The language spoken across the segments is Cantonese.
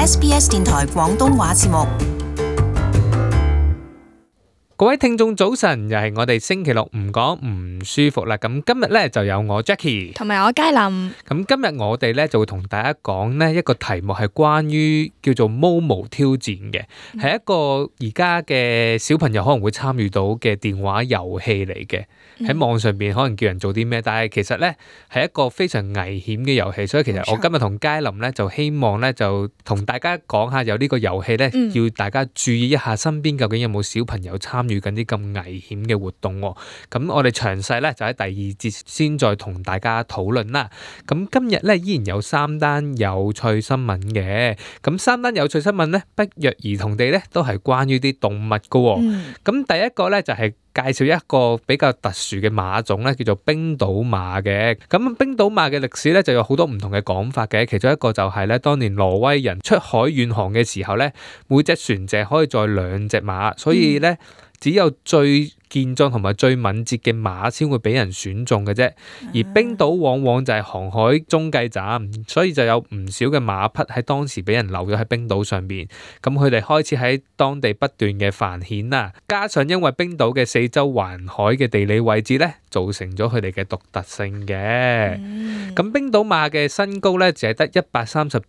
SBS 電台廣東話節目。各位聽眾早晨，又係我哋星期六唔講唔舒服啦。咁今日咧就有我 Jackie 同埋我佳琳。咁今日我哋咧就會同大家講呢一個題目係關於叫做 Momo 挑戰嘅，係一個而家嘅小朋友可能會參與到嘅電話遊戲嚟嘅。喺網上邊可能叫人做啲咩，但係其實咧係一個非常危險嘅遊戲，所以其實我今日同佳琳咧就希望咧就同大家講下有呢個遊戲咧，要大家注意一下身邊究竟有冇小朋友參與緊啲咁危險嘅活動喎。咁我哋詳細咧就喺第二節先再同大家討論啦。咁今日咧依然有3單有趣新聞嘅，咁3單有趣新聞咧不約而同地咧都係關於啲動物㗎喎。咁第一個咧就係介紹一個比較特殊嘅馬種咧，叫做冰島馬嘅。咁冰島馬嘅歷史咧就有好多唔同嘅講法嘅，其中一個就係咧，當年挪威人出海遠航嘅時候咧，每隻船隻可以載2隻馬，所以咧只有最健壯同埋最敏捷嘅馬先會俾人選中嘅啫。而冰島往往就係航海中繼站，所以就有唔少嘅馬匹喺當時俾人留咗喺冰島上邊。咁佢哋開始喺當地不斷嘅繁衍啦。加上因為冰島嘅四周環海嘅地理位置咧，造成咗佢哋嘅獨特性嘅。咁冰島馬嘅身高咧，只係得132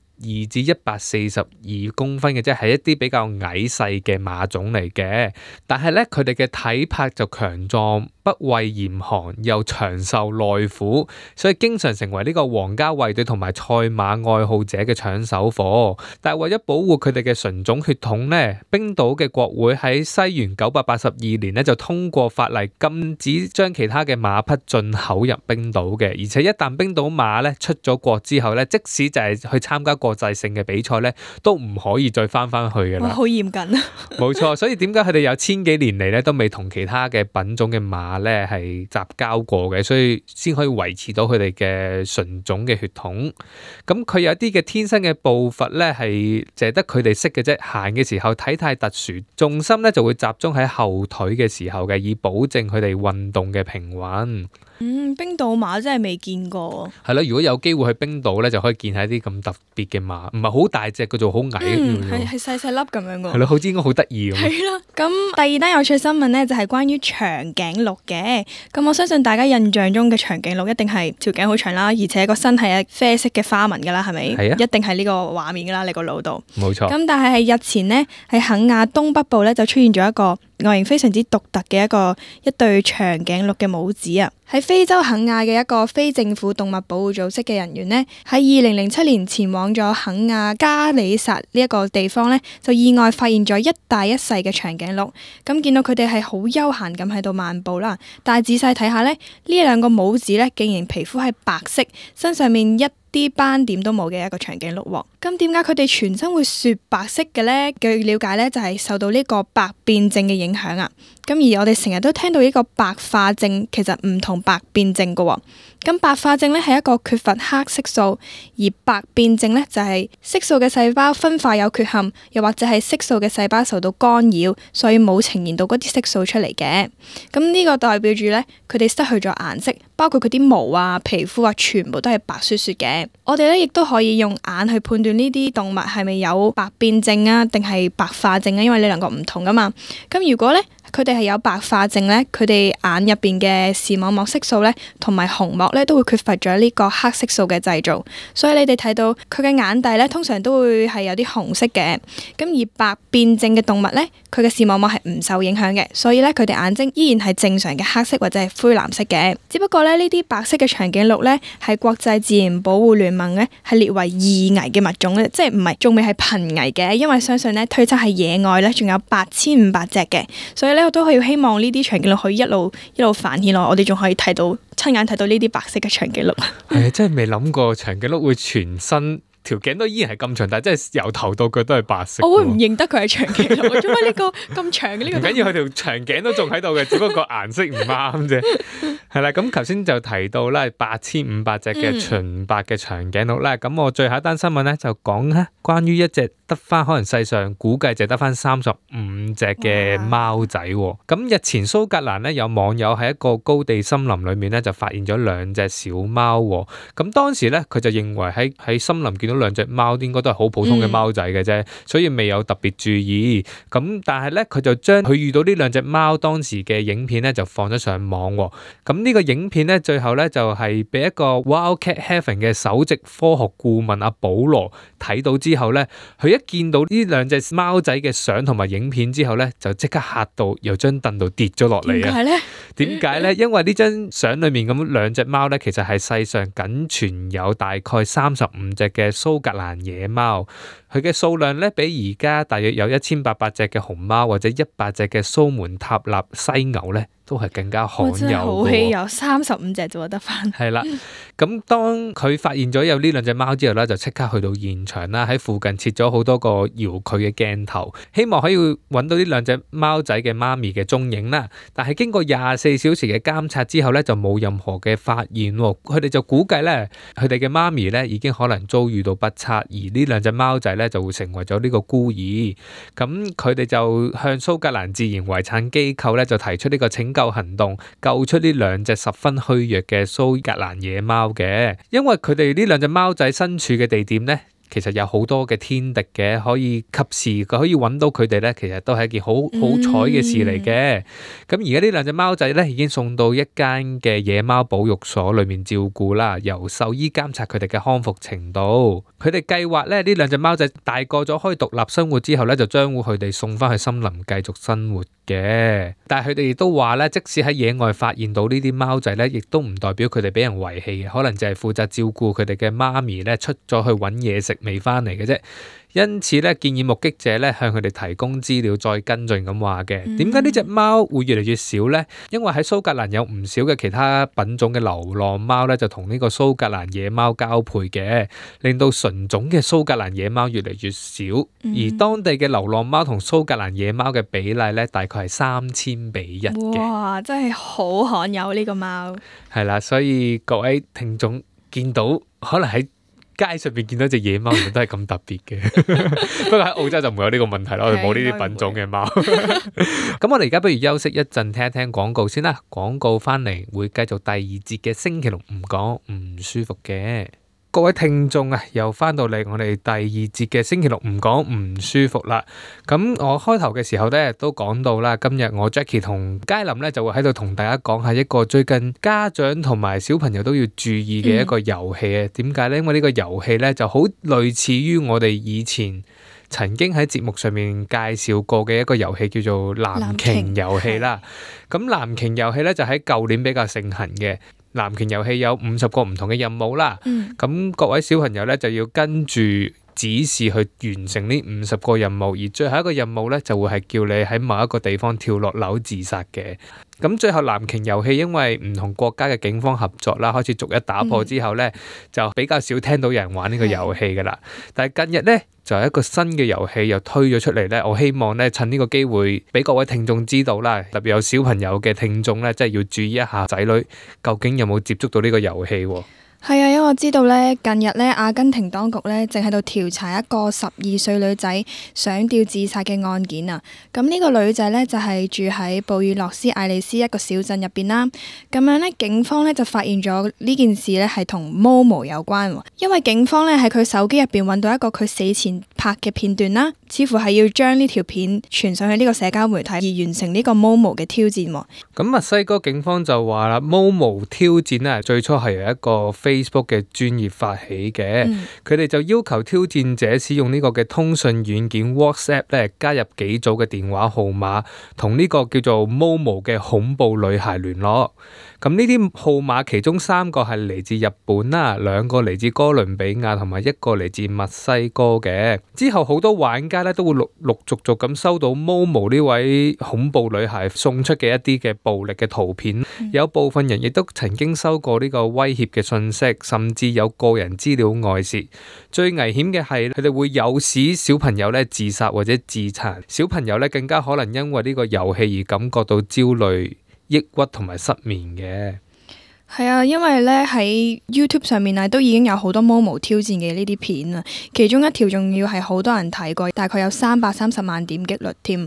至142公分嘅啫，係一啲比較矮細嘅馬種嚟嘅。但係咧，佢哋嘅體魄就強壯，不畏嚴寒，又長壽耐苦，所以經常成為呢個皇家衛隊同埋賽馬愛好者嘅搶手貨。但係為咗保護佢哋嘅純種血統咧，冰島嘅國會喺西元982年咧就通過法例禁止將其他嘅馬匹進口入冰島嘅。而且一旦冰島馬咧出咗國之後咧，即使就係去參加國際性嘅比賽咧，都唔可以再翻去㗎啦。好嚴謹啊！冇錯，所以點解佢哋有1000幾年嚟咧都未同其他嘅品種嘅馬咧係雜交過嘅，所以先可以維持到佢哋嘅純種嘅血統。咁佢有啲嘅天生嘅步伐咧係淨係得佢哋識嘅啫，行嘅時候體態特殊，重心咧就會集中喺後腿嘅時候嘅，以保證佢哋運動嘅平穩。冰島馬真係未見過。係咯，如果有機會去冰島咧，就可以見下啲咁特別嘅馬，唔係好大隻嘅，做好矮嘅。係細細粒咁樣嘅。係咯，好似應該好得意咁。係啦，咁第二單有趣新聞咧就係關於長頸鹿嘅。咁我相信大家印象中嘅長頸鹿一定係條頸好長啦，而且個身係啡色嘅花紋噶啦，係咪？係啊，一定係呢個畫面噶啦，你個腦度。冇錯。咁但係日前呢，喺肯亞東北部咧就出現咗一個外形非常之獨特嘅一對長頸鹿嘅母子啊！喺非洲肯亞嘅一個非政府動物保護組織嘅人員呢，喺2007年前往咗肯亞加里薩呢一個地方呢，就意外發現咗一大一細嘅長頸鹿。咁見到佢哋係好悠閒咁喺度漫步啦，但係仔細睇下呢，呢兩個母子呢，竟然皮膚係白色，身上面一啲斑點都冇嘅一個長頸鹿喎。咁點解佢哋全身會雪白色嘅呢？據了解呢，就係受到呢個白變症嘅影響啊。咁而我哋成日都聽到呢個白化症，其實唔同白變症㗎喎。咁白化症呢係一個缺乏黑色素，而白變症呢就係色素嘅細胞分化有缺陷，又或者係色素嘅細胞受到干擾，所以冇呈現到嗰啲色素出嚟嘅。咁呢個代表住呢，佢哋失去咗顏色，包括佢啲毛啊、皮膚啊，全部都係白雪雪嘅。我哋呢亦都可以用眼去判斷呢啲動物係咪有白變症啊，定係白化症啊，因為呢兩個唔同噶嘛。咁如果呢，佢哋係有白化症咧，佢哋眼入邊嘅視網膜色素咧，同埋虹膜咧都會缺乏咗呢個黑色素嘅製造，所以你哋睇到佢嘅眼底咧，通常都會係有啲紅色嘅。咁而白變症嘅動物咧，佢嘅視網膜係唔受影響嘅，所以咧佢哋眼睛依然係正常嘅黑色或者係灰藍色嘅。只不過咧呢啲白色嘅長頸鹿咧，係國際自然保護聯盟咧係列為易危嘅物種咧，即係唔係仲未係瀕危嘅，因為相信咧推測係野外咧仲有8500隻嘅，所以咧我都係要希望呢啲長頸鹿可以一路繁衍落，我哋仲可以親眼睇到呢啲白色嘅長頸鹿。係啊，真係未諗過長頸鹿會全身條頸都依然係咁長，但係真係由頭到腳都係白色。我會唔認得佢係長頸鹿？做乜呢個咁長嘅呢個？唔緊要，佢條長頸都仲喺度嘅，只不過個顏色唔啱啫。係啦，咁頭先就提到啦，8500隻嘅純白嘅長頸鹿啦。咁我最後一單新聞咧就講咧關於一隻得翻可能世上估計就得翻35隻嘅貓仔喎。咁日前蘇格蘭咧有網友喺一個高地森林裏面咧就發現咗2隻小貓喎。咁當時咧佢就認為喺森林見到2隻貓應該都係好普通嘅貓仔嘅啫，所以未有特別注意。咁但係咧佢就將佢遇到呢2隻貓當時嘅影片咧就放咗上網喎。咁呢個影片咧最後咧就係俾一個 Wildcat Heaven 嘅首席科學顧問阿保羅睇到之後咧，佢一見到呢2隻貓仔嘅相同埋影片之後咧，就即刻嚇到由張凳度跌咗落嚟啊！點解咧？因為呢張相裏面咁2隻貓咧，其實係世上僅存有大概35隻嘅蘇格蘭野貓，佢嘅數量咧比而家大約有1800隻嘅熊貓或者100隻嘅蘇門答臘犀牛咧，都係更加罕有嘅。真係好稀有，35隻就得翻。係啦，咁當佢發現咗有呢2隻貓之後咧，就即刻去到現場啦，喺附近設咗好多個遙距嘅鏡頭，希望可以揾到呢2隻貓仔嘅媽咪嘅蹤影啦。但係經過24小時嘅監察之後咧，就冇任何嘅發現喎。佢哋就估計咧，佢哋嘅媽咪咧已經可能遭遇到不測，而呢2隻貓仔咧就會成為咗呢個孤兒。咁佢哋就向蘇格蘭自然遺產機構咧就提出呢個拯救行動，救出呢2隻十分虛弱嘅蘇格蘭野貓嘅。因為佢哋呢2隻貓仔身處嘅地點咧，其實有好多嘅天敵嘅，可以及時可以揾到佢哋咧，其實都係一件好彩嘅事嚟嘅。咁而家呢2隻貓仔咧已經送到一間嘅野貓保育所裏面照顧啦，由獸醫監察佢哋嘅康復程度。佢哋計劃咧呢2隻貓仔大個咗可以獨立生活之後咧，就將會佢哋送翻去森林繼續生活嘅。但係佢哋亦都話咧，即使喺野外發現到呢啲貓仔咧，亦都唔代表佢哋俾人遺棄嘅，可能就係負責照顧佢哋嘅媽咪咧出咗去揾嘢食未翻嚟嘅啫。因此咧，建議目擊者咧向佢哋提供資料再跟進咁話嘅。點解呢隻貓會越嚟越少呢？因為喺蘇格蘭有唔少嘅其他品種嘅流浪貓咧，就同呢個蘇格蘭野貓交配嘅，令到純種嘅蘇格蘭野貓越嚟越少。而當地嘅流浪貓同蘇格蘭野貓嘅比例咧，大概係3000:1嘅。哇！真係好罕有呢個貓。係啦，所以各位聽眾見到可能喺街上邊見到隻野貓，原來都係咁特別嘅。不過喺澳洲就唔會有呢個問題啦，我哋冇呢啲品種嘅貓。咁我哋而家不如休息一陣，聽一聽廣告先啦。廣告翻嚟會繼續第2節嘅星期六唔講唔舒服嘅。各位聽眾啊，又翻到嚟我哋第2節嘅星期六唔講唔舒服啦。咁我開頭嘅時候咧都講到啦，今日我 Jackie 同佳琳咧就會喺度同大家講下一個最近家長同埋小朋友都要注意嘅一個遊戲啊。點解咧？因為呢個遊戲咧就好類似於我哋以前曾經喺節目上面介紹過嘅一個遊戲，叫做藍鯨遊戲啦。咁藍鯨遊戲咧就喺舊年比較盛行嘅。藍鯨遊戲有50個唔同嘅任務啦，咁各位小朋友咧就要跟住指示去完成呢50個任務，而最後一個任務咧就會係叫你喺某一個地方跳落樓自殺嘅。咁最後藍鯨遊戲因為唔同國家嘅警方合作啦，開始逐一打破之後咧，就比較少聽到有人玩呢個遊戲噶啦。但係近日咧就有一個新嘅遊戲又推咗出嚟咧，我希望咧趁呢個機會俾各位聽眾知道啦，特別有小朋友嘅聽眾咧，真係要注意一下仔女究竟有冇接觸到呢個遊戲喎。係啊，因為我知道咧，近日咧阿根廷當局咧正喺度調查一個12歲女仔上吊自殺嘅案件啊。咁呢個女仔咧就係住喺布宜諾斯艾利斯一個小鎮入邊啦。咁樣咧，警方咧就發現咗呢件事咧係同 Momo 有關，因為警方咧喺佢手機入邊揾到一個佢死前拍嘅片段啦，似乎係要將呢條片傳上去呢個社交媒體而完成呢個 Momo 嘅挑戰。咁墨西哥警方就話啦，Momo 挑戰咧最初係由一個Facebook 嘅專頁發起嘅，佢哋就要求挑戰者使用呢個嘅通訊軟件 WhatsApp 咧，加入幾組嘅電話號碼，同呢個叫做 Momo 嘅恐怖女孩聯絡。咁呢啲號碼其中3個係嚟自日本啦，2個嚟自哥倫比亞，同埋1個嚟自墨西哥嘅。之後好多玩家咧都會陸續咁收到 Momo 呢位恐怖女孩送出嘅一啲嘅暴力嘅圖片，有部分人亦都曾經收過呢個威脅嘅信息，甚至有個人資料外泄。最危險嘅係佢哋會誘使小朋友咧自殺或者自殘，小朋友咧更加可能因為呢個遊戲而感覺到焦慮、抑鬱同埋失眠嘅。係啊，因為咧喺 YouTube 上面啊，都已經有好多 Momo 挑戰嘅呢啲片啊，其中一條仲要係好多人睇過，大概有330萬點擊率添。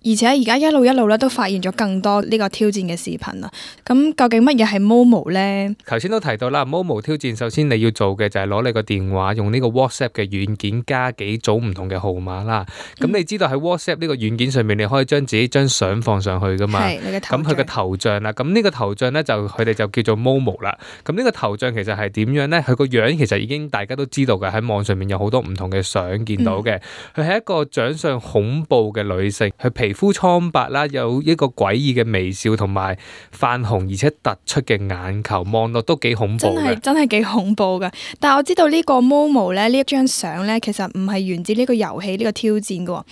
而且而家一路咧都發現咗更多呢個挑戰嘅視頻啊。咁究竟乜嘢係 Momo 呢？頭先都提到啦，Momo 挑戰首先你要做嘅就係攞你個電話，用呢個 WhatsApp 嘅軟件加幾組唔同嘅號碼啦。咁你知道喺 WhatsApp 呢個軟件上面，你可以將自己張相放上去噶嘛？係你嘅頭像。咁佢嘅頭像啦，咁呢個頭像咧就佢哋就叫做 Momo 啦。咁呢個頭像其實係點樣咧？佢個樣其實已經大家都知道嘅，喺網上面有好多唔同嘅相見到嘅。佢係一個長相恐怖嘅女性，佢皮膚蒼白啦，有一個詭異嘅微笑同埋泛紅而且突出嘅眼球，望落都幾恐怖嘅。真係幾恐怖噶！但係我知道呢個 Momo 咧，呢一張相咧，其實唔係源自呢個遊戲呢個挑戰嘅。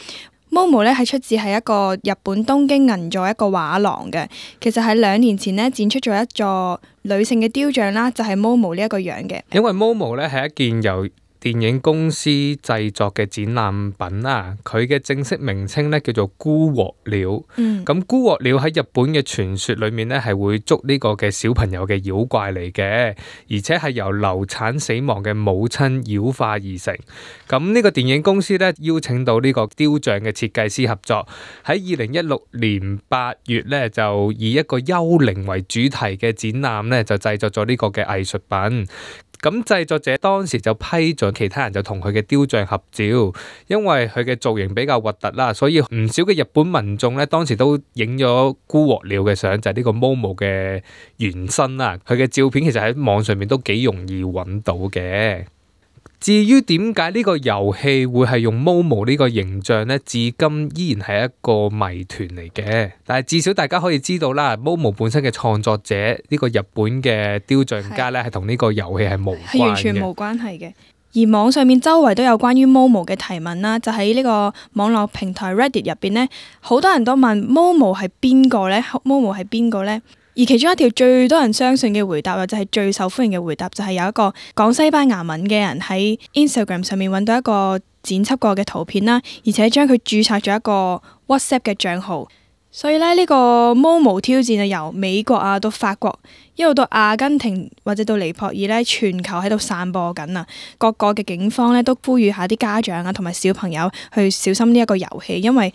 Momo 咧係出自係一個日本東京銀座一個畫廊嘅，其實喺2年前呢，展出咗一座女性嘅雕像啦，就係 Momo 呢一個樣嘅。因為 Momo 咧係一件由電影公司製作嘅展覽品啦，佢嘅正式名稱咧叫做孤獲鳥。咁孤獲鳥喺日本嘅傳說裏面咧係會捉呢個嘅小朋友嘅妖怪嚟嘅，而且係由流產死亡嘅母親妖化而成。咁呢個電影公司咧邀請到呢個雕像嘅設計師合作，喺2016年8月咧就以一個幽靈為主題嘅展覽咧就製作咗呢個嘅藝術品。咁製作者當時就批准其他人就同佢嘅雕像合照，因為佢嘅造型比較核突啦，所以唔少嘅日本民眾咧當時都影咗孤獲鳥嘅相，就係呢個 Momo 嘅原身啦。佢嘅照片其實喺網上面都幾容易揾到嘅。至於點解呢個遊戲會係用 Momo 呢個形象呢？至今依然係一個謎團嚟嘅。但係至少大家可以知道啦，Momo 本身嘅創作者呢個日本嘅雕像家呢，係同呢個遊戲係無關嘅，係完全冇關係嘅。而網上面周圍都有關於 Momo 嘅提問啦，就喺呢個網絡平台 Reddit 入邊呢，好多人都問 Momo 係邊個呢？ Momo 係邊個呢？而其中一條最多人相信嘅回答，或者係最受歡迎嘅回答，就係有一個講西班牙文嘅人喺 Instagram 上面揾到一個剪輯過嘅圖片啦，而且將佢註冊咗一個 WhatsApp 嘅帳號。所以咧，呢個 Momo 挑戰啊，由美國啊到法國，一路到阿根廷或者到尼泊爾咧，全球喺度散播緊啊！各個嘅警方咧都呼籲下啲家長啊同埋小朋友去小心呢一個遊戲，因為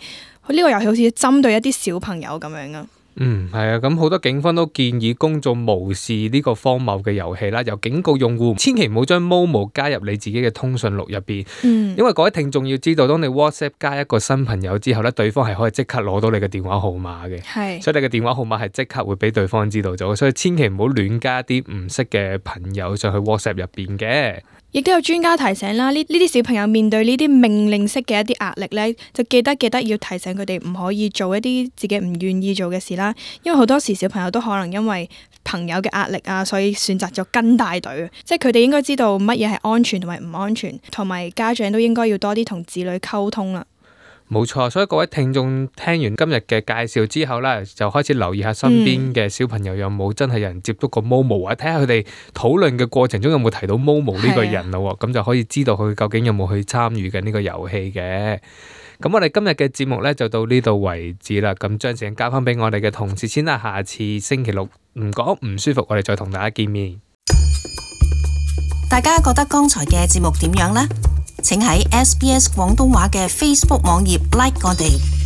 呢個遊戲好似針對一啲小朋友咁樣啊。係啊，咁好多警方都建議公眾無視呢個荒謬嘅遊戲啦，又警告用戶千祈唔好將 Momo 加入你自己嘅通訊錄入邊，因為各位聽眾要知道，當你 WhatsApp 加一個新朋友之後咧，對方係可以即刻攞到你嘅電話號碼嘅，所以你嘅電話號碼係即刻會俾對方知道咗，所以千祈唔好亂加啲唔識嘅朋友上去 WhatsApp 入邊嘅。亦都有專家提醒啦，呢啲小朋友面對呢啲命令式嘅一啲壓力咧，就記得要提醒佢哋唔可以做一啲自己唔願意做嘅事啦。因為好多時小朋友都可能因為朋友嘅壓力啊，所以選擇咗跟大隊。即係佢哋應該知道乜嘢係安全同埋唔安全，同埋家長都應該要多啲同子女溝通啦。冇錯，所以各位聽眾聽完今日嘅介紹之後咧，就開始留意下身邊嘅小朋友有冇真係有人接觸過 Momo，或者睇下佢哋討論嘅過程中有冇提到 Momo 呢個人咯，咁就可以知道佢究竟有冇去參與緊呢個遊戲嘅。咁我哋今日嘅節目咧就到呢度為止啦。咁將時間交翻俾我哋嘅同事先啦，下次星期六唔講唔舒服，我哋再同大家見面。大家覺得剛才嘅節目點樣呢？請喺SBS 廣東話嘅 Facebook 網頁 like 我哋。